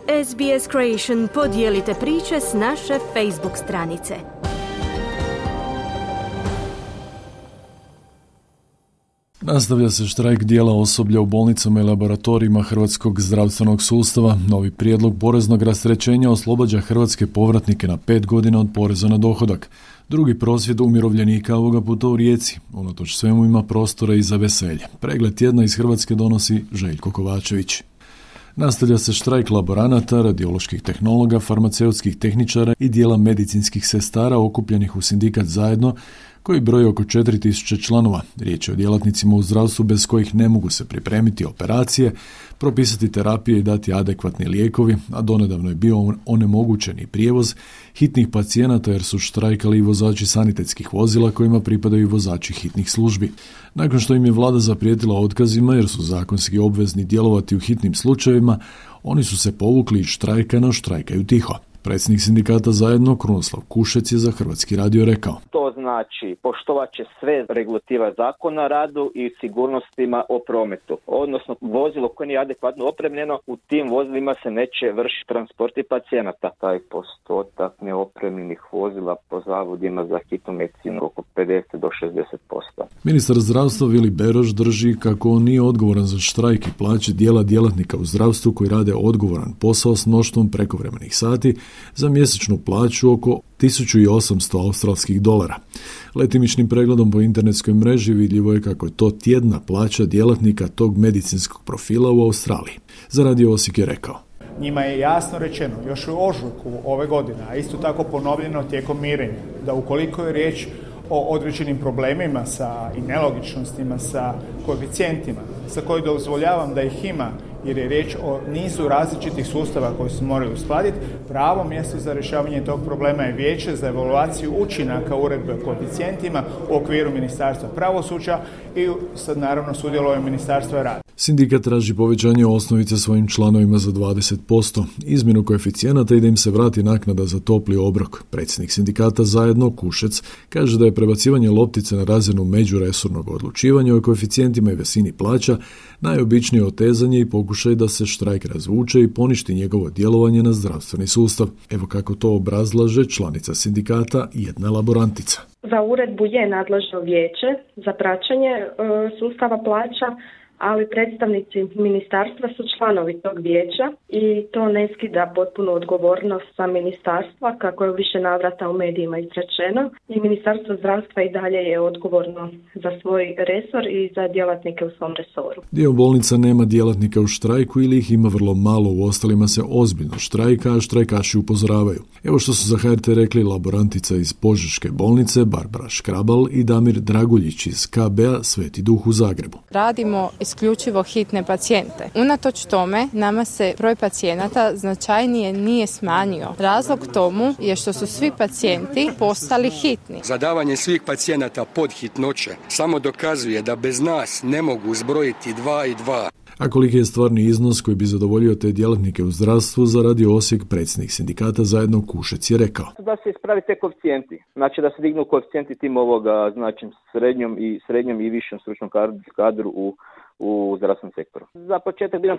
SBS Creation podijelite priče s naše Facebook stranice. Nastavlja se štrajk dijela osoblja u bolnicama i laboratorijima Hrvatskog zdravstvenog sustava. Novi prijedlog poreznog rasterećenja oslobađa hrvatske povratnike na 5 godina od poreza na dohodak. Drugi prosvjed umirovljenika ovoga puta u Rijeci. Unatoč svemu ima prostora i za veselje. Pregled tjedna iz Hrvatske donosi Željko Kovačević. Nastavlja se štrajk laboranata, radioloških tehnologa, farmaceutskih tehničara i dijela medicinskih sestara okupljenih u sindikat Zajedno, koji broji oko 4000 članova. Riječ je o djelatnicima u zdravstvu bez kojih ne mogu se pripremiti operacije, propisati terapije i dati adekvatni lijekovi, a donedavno je bio onemogućeni prijevoz hitnih pacijenata jer su štrajkali i vozači sanitetskih vozila kojima pripadaju vozači hitnih službi. Nakon što im je vlada zaprijetila otkazima jer su zakonski obvezni djelovati u hitnim slučajevima, oni su se povukli iz štrajka, no štrajkaju tiho. Predsjednik sindikata Zajedno, Krunoslav Kušec, je za Hrvatski radio rekao: To znači poštovat će sve regulativa zakona o radu i sigurnostima o prometu. Odnosno, vozilo koje nije adekvatno opremljeno, u tim vozilima se neće vršiti transporti pacijenata. Taj postotak neopremljenih vozila po zavodima za hitnu medicinu oko 50 do 60%. Ministar zdravstva Vili Beroš drži kako on nije odgovoran za štrajk i plaće dijela djelatnika u zdravstvu koji rade odgovoran posao s mnoštvom prekovremenih sati za mjesečnu plaću oko 1800 australskih dolara. Letimičnim pregledom po internetskoj mreži vidljivo je kako je to tjedna plaća djelatnika tog medicinskog profila u Australiji. Za Radio Osijek je rekao: Njima je jasno rečeno još u ožujku ove godine, a isto tako ponovljeno tijekom mirenja, da ukoliko je riječ o određenim problemima i nelogičnostima sa koeficijentima, za koje dozvoljavam da ih ima, jer je riječ o nizu različitih sustava koji se moraju uskladiti, pravo mjesto za rješavanje tog problema je Vijeće za evaluaciju učinaka uredbe o koeficijentima u okviru Ministarstva pravosuđa i sad naravno sudjeluje Ministarstva rada. Sindikat traži povećanje osnovice svojim članovima za 20%, izmjenu koeficijenata i da im se vrati naknada za topli obrok. Predsjednik sindikata Zajedno, Kušec, kaže da je prebacivanje loptice na razinu međuresornog odlučivanja o koeficijentima i visini plaća najobičnije otezanje i pokušaj da se štrajk razvuče i poništi njegovo djelovanje na zdravstveni sustav. Evo kako to obrazlaže članica sindikata, jedna laborantica. Za uredbu je nadležno vijeće za praćenje sustava plaća, ali predstavnici ministarstva su članovi tog vijeća i to ne skida potpunu odgovornost sa ministarstva, kako je u više navrata u medijima izrečeno, i Ministarstvo zdravstva i dalje je odgovorno za svoj resor i za djelatnike u svom resoru. Dio bolnica nema djelatnika u štrajku ili ih ima vrlo malo, u ostalima se ozbiljno štrajka, a štrajkaši upozoravaju. Evo što su za HRT rekli laborantica iz Požeške bolnice Barbara Škrabal i Damir Draguljić iz KB-a Sveti Duh u Zagrebu. Radimo isključivo hitne pacijente. Unatoč tome, nama se broj pacijenata značajnije nije smanjio. Razlog tomu je što su svi pacijenti postali hitni. Zadavanje svih pacijenata pod hitnoće samo dokazuje da bez nas ne mogu zbrojiti 2 i 2. A koliki je stvarni iznos koji bi zadovoljio te djelatnike u zdravstvu, za Radio Osijek predsjednik sindikata Zajedno Kušec je rekao: Da se ispravi te koeficijenti, znači da se dignu koeficijenti tim znači srednjom i višem stručnom kadru u zdravstvenom sektoru. Za početak bi nam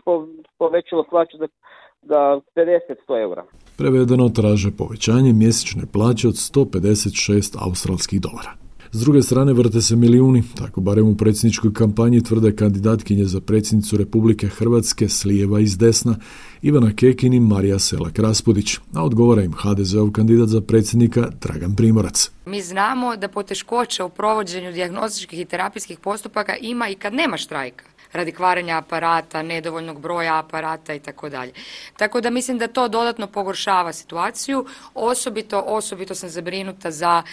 povećalo plaću za 50-100 eura. Prevedeno, traže povećanje mjesečne plaće od 156 australskih dolara. S druge strane vrte se milijuni, tako barem u predsjedničkoj kampanji tvrde kandidatkinje za predsjednicu Republike Hrvatske s lijeva i s desna, Ivana Kekin i Marija Selak-Raspudić, a odgovara im HDZ-ov kandidat za predsjednika Dragan Primorac. Mi znamo da poteškoće u provođenju dijagnostičkih i terapijskih postupaka ima i kad nema štrajka, radi kvarenja aparata, nedovoljnog broja aparata i tako dalje. Tako da mislim da to dodatno pogoršava situaciju. Osobito sam zabrinuta za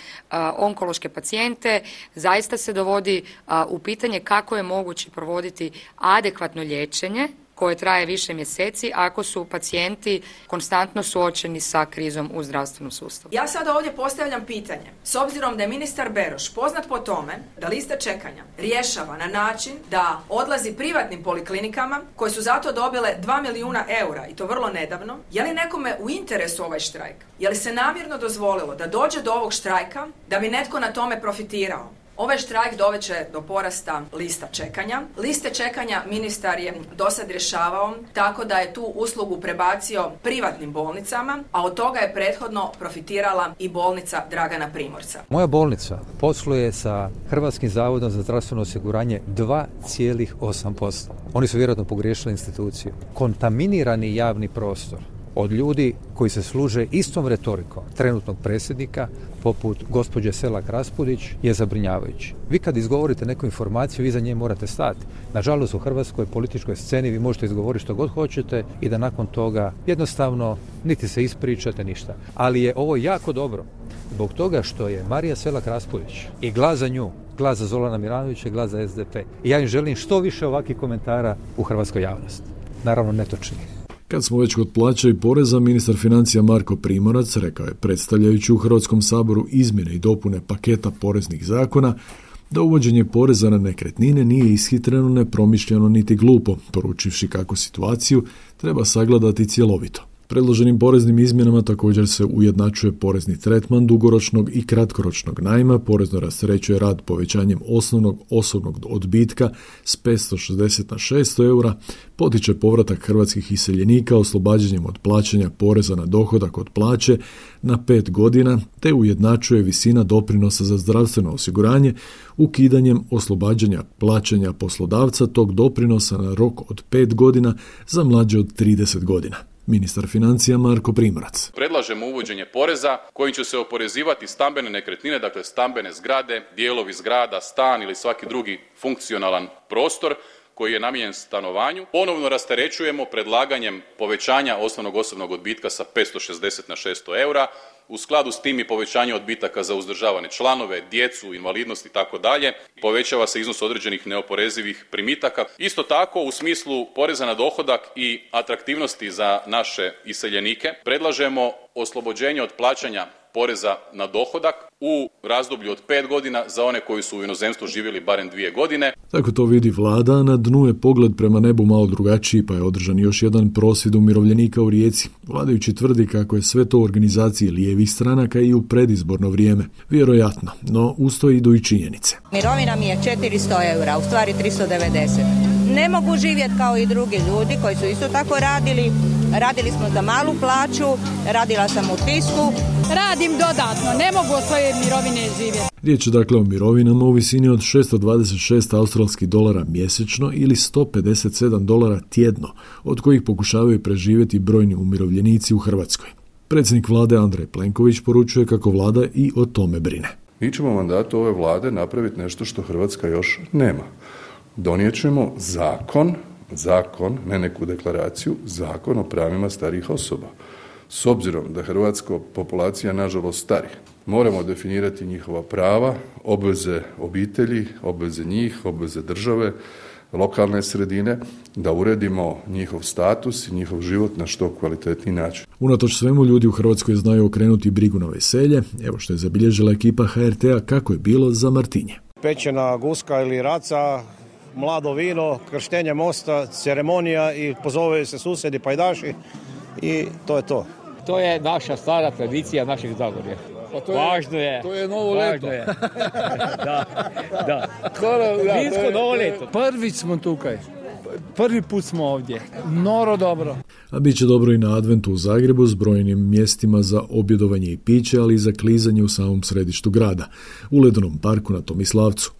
onkološke pacijente. Zaista se dovodi u pitanje kako je moguće provoditi adekvatno liječenje koje traje više mjeseci ako su pacijenti konstantno suočeni sa krizom u zdravstvenom sustavu. Ja sada ovdje postavljam pitanje. S obzirom da je ministar Beroš poznat po tome da liste čekanja rješava na način da odlazi privatnim poliklinikama koje su zato dobile 2 milijuna eura i to vrlo nedavno, je li nekome u interesu ovaj štrajk? Je li se namjerno dozvolilo da dođe do ovog štrajka da bi netko na tome profitirao? Ovaj štrajk doveće do porasta lista čekanja. Liste čekanja ministar je dosad rješavao tako da je tu uslugu prebacio privatnim bolnicama, a od toga je prethodno profitirala i bolnica Dragana Primorca. Moja bolnica posluje sa Hrvatskim zavodom za zdravstveno osiguranje 2,8%. Oni su vjerojatno pogriješili instituciju. Kontaminirani javni prostor od ljudi koji se služe istom retorikom trenutnog predsjednika, poput gospođe Selak Raspudić, je zabrinjavajući. Vi kad izgovorite neku informaciju, vi za nje morate stati. Nažalost, u hrvatskoj političkoj sceni vi možete izgovoriti što god hoćete i da nakon toga jednostavno niti se ispričate ništa. Ali je ovo jako dobro zbog toga što je Marija Selak Raspudić i glas za nju, glas za Zorana Milanovića i glas za SDP. I ja im želim što više ovakvih komentara u hrvatskoj javnosti. Naravno netočnih. Kad smo već kod plaća i poreza, ministar financija Marko Primorac rekao je, predstavljajući u Hrvatskom saboru izmjene i dopune paketa poreznih zakona, da uvođenje poreza na nekretnine nije ishitreno, nepromišljeno niti glupo, poručivši kako situaciju treba sagledati cjelovito. Predloženim poreznim izmjenama također se ujednačuje porezni tretman dugoročnog i kratkoročnog najma, porezno rasterećuje rad povećanjem osnovnog osobnog odbitka s 560 na 600 eura, potiče povratak hrvatskih iseljenika oslobađanjem od plaćanja poreza na dohodak od plaće na 5 godina, te ujednačuje visina doprinosa za zdravstveno osiguranje ukidanjem oslobađanja plaćanja poslodavca tog doprinosa na rok od 5 godina za mlađe od 30 godina. Ministar financija Marko Primorac. Predlažemo uvođenje poreza kojim će se oporezivati stambene nekretnine, dakle stambene zgrade, dijelovi zgrada, stan ili svaki drugi funkcionalan prostor koji je namijenjen stanovanju. Ponovno rasterećujemo predlaganjem povećanja osnovnog osobnog odbitka sa 560 na 600 eura. U skladu s tim i povećanje odbitaka za uzdržavane članove, djecu, invalidnost i tako dalje. Povećava se iznos određenih neoporezivih primitaka. Isto tako, u smislu poreza na dohodak i atraktivnosti za naše iseljenike, predlažemo oslobođenje od plaćanja poreza na dohodak u razdoblju od 5 godina za one koji su u inozemstvu živjeli barem 2 godine. Tako to vidi vlada, na dnu je pogled prema nebu malo drugačiji, pa je održan još jedan prosvjed umirovljenika u Rijeci. Vladajući tvrdi kako je sve to u organizaciji lijevih stranaka i u predizborno vrijeme. Vjerojatno, no uz to idu i činjenice. Mirovina mi je 400 eura, u stvari 390. Ne mogu živjeti kao i drugi ljudi koji su isto tako radili. Radili smo za malu plaću, radila sam u tisku. Radim dodatno, ne mogu od svoje mirovine živjeti. Riječ je dakle o mirovinama u visini od 626 australskih dolara mjesečno ili 157 dolara tjedno, od kojih pokušavaju preživjeti brojni umirovljenici u Hrvatskoj. Predsjednik vlade Andrej Plenković poručuje kako vlada i o tome brine. Mi ćemo u mandatu ove vlade napraviti nešto što Hrvatska još nema. Donijet ćemo zakon, ne neku deklaraciju, zakon o pravima starijih osoba. S obzirom da hrvatska populacija nažalost stari, moramo definirati njihova prava, obveze obitelji, obveze njih, obveze države, lokalne sredine, da uredimo njihov status i njihov život na što kvalitetniji način. Unatoč svemu, ljudi u Hrvatskoj znaju okrenuti brigu na veselje. Evo što je zabilježila ekipa HRT-a kako je bilo za Martinje. Pečena guska ili raca, mlado vino, krštenje mosta, ceremonija i pozove se susjedi, pajdaši i to je to. To je naša stara tradicija našeg Zagorja. Važno je. To je novo leto. Da. Vinsko novo leto. Prvi smo tukaj. Prvi put smo ovdje. Noro dobro. A bit će dobro i na adventu u Zagrebu s brojnim mjestima za objedovanje i piće, ali i za klizanje u samom središtu grada, u Ledenom parku na Tomislavcu.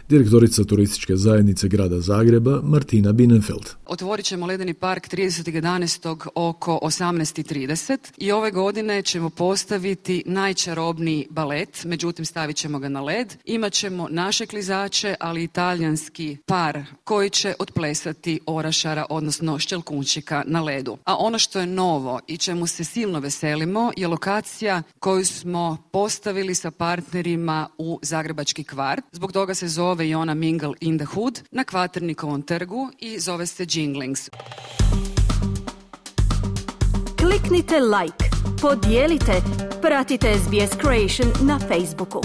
Direktorica turističke zajednice grada Zagreba Martina Bienenfeld. Otvorit ćemo Ledeni park 30.11. oko 18.30 i ove godine ćemo postaviti najčarobniji balet, međutim stavit ćemo ga na led. Imaćemo naše klizače, ali i talijanski par koji će otplesati orašara, odnosno šćelkunčika na ledu. A ono što je novo i čemu se silno veselimo je lokacija koju smo postavili sa partnerima u Zagrebački kvart. Zbog toga se zove i ona Mingle in the Hood na Kvaternikovom trgu i zove se Jinglings. Kliknite like, podijelite, pratite SBS Creation na Facebooku.